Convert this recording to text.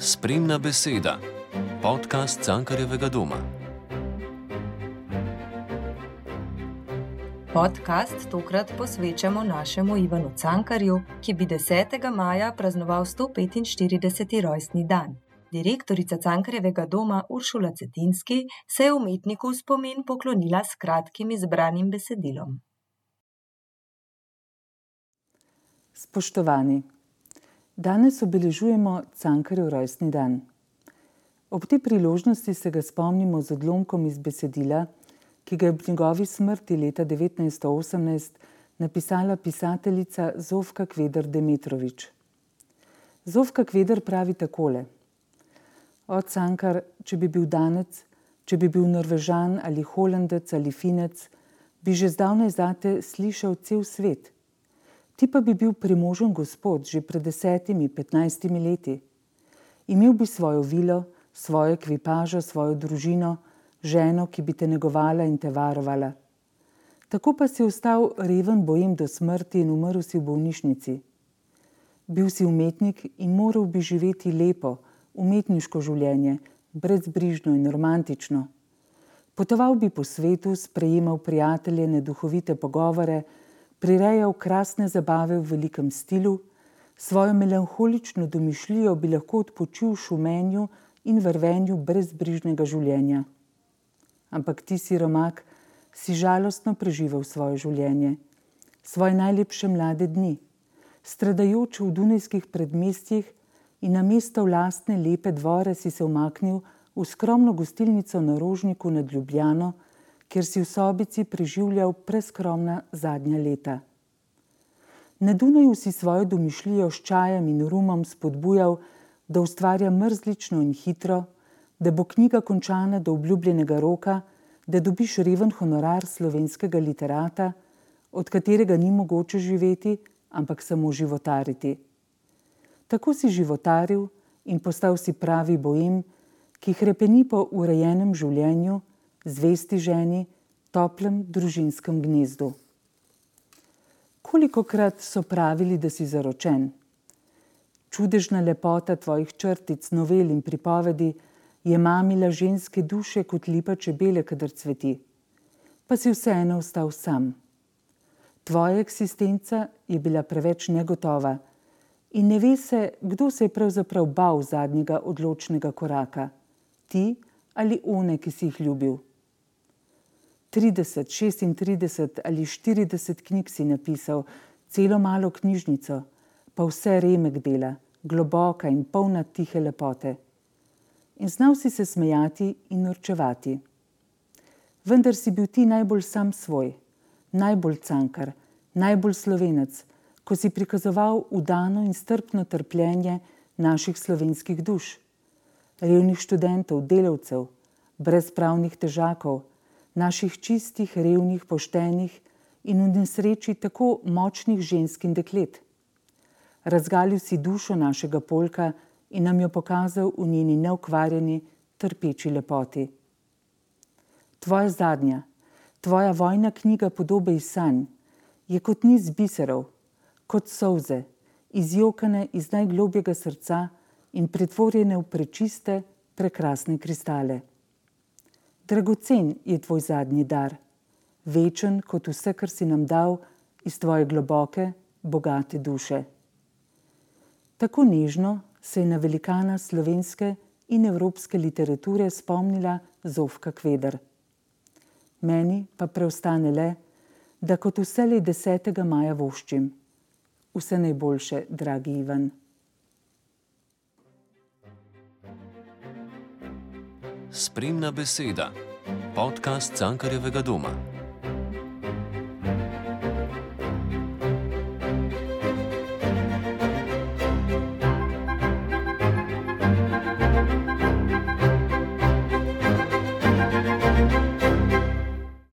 Spremna beseda, podcast Cankarjevega doma. Podcast tokrat posvečamo našemu Ivanu Cankarju, ki bi 10. maja praznoval 145. rojstni dan. Direktorica Cankarjevega doma Uršula Cetinski se je umetniku v spomin poklonila s kratkim izbranim besedilom. Spoštovani, danes obeležujemo Cankarjev rojstni dan. Ob tej priložnosti se ga spomnimo z odlomkom iz besedila, ki ga je ob njegovi smrti leta 1918 napisala pisateljica Zofka Kveder Demetrović. Zofka Kveder pravi takole: O Cankar, če bi bil Danec, če bi bil Norvežan ali Holandec ali Finec, bi že zdavnaj zate slišal cel svet. Ti pa bi bil premožen gospod že pred 10-15 leti. Imel bi svojo vilo, svojo ekvipažo, svojo družino, ženo, ki bi te negovala in te varovala. Tako pa si ostal reven bojem do smrti in umrl si v bolnišnici. Bil si umetnik in moral bi živeti lepo, umetniško življenje, brezbrižno in romantično. Potoval bi po svetu, sprejemal prijateljene duhovite pogovore, prirejal krasne zabave v velikem stilu, svojo melanholično domišljijo bi lahko odpočil v šumenju in vrvenju brezbrižnega življenja. Ampak ti, siromak, si žalostno preživel svoje življenje, svoje najlepše mlade dni, stradajoč v dunajskih predmestjih in namesto v lastne lepe dvore si se umaknil v skromno gostilnico na Rožniku nad Ljubljano, kjer si v sobici preživljal preskromna zadnja leta. Na Dunaju si svojo domišljijo s čajem in rumom spodbujal, da ustvarja mrzlično in hitro, da bo knjiga končana do obljubljenega roka, da dobiš reven honorar slovenskega literata, od katerega ni mogoče živeti, ampak samo životariti. Tako si životaril in postal si pravi boem, ki hrepeni po urejenem življenju, zvesti ženi, toplem družinskem gnezdu. Kolikokrat so pravili, da si zaročen? Čudežna lepota tvojih črtic, novel in pripovedi je mamila ženske duše kot lipa čebele, kadar cveti. Pa si vseeno ostal sam. Tvoja eksistenca je bila preveč negotova in ne ve se, kdo se je pravzaprav bal zadnjega odločnega koraka. Ti ali one, ki si jih ljubil. 30, 36 ali 40 knjig si napisal, celo malo knjižnico, pa vse remek dela, globoka in polna tihe lepote. In znal si se smejati in norčevati. Vendar si bil ti najbolj sam svoj, najbolj Cankar, najbolj Slovenec, ko si prikazoval udano in strpno trpljenje naših slovenskih duš, revnih študentov, delavcev, brezpravnih težakov, naših čistih, revnih, poštenih in v nesreči tako močnih žensk in deklet. Razgalil si dušo našega polka in nam jo pokazal v njeni neokvarjeni, trpeči lepoti. Tvoja zadnja, tvoja vojna knjiga Podobe iz sanj je kot niz biserov, kot solze, izjokane iz najglobjega srca in pretvorjene v prečiste, prekrasne kristale. Dragocen je tvoj zadnji dar, večen kot vse, kar si nam dal iz tvoje globoke, bogate duše. Tako nežno se je na velikana slovenske in evropske literature spomnila Zofka Kveder. Meni pa preostane le, da kot vselej 10. maja voščim. Vse najboljše, dragi Ivan. Spremna beseda, podcast Cankarjevega doma.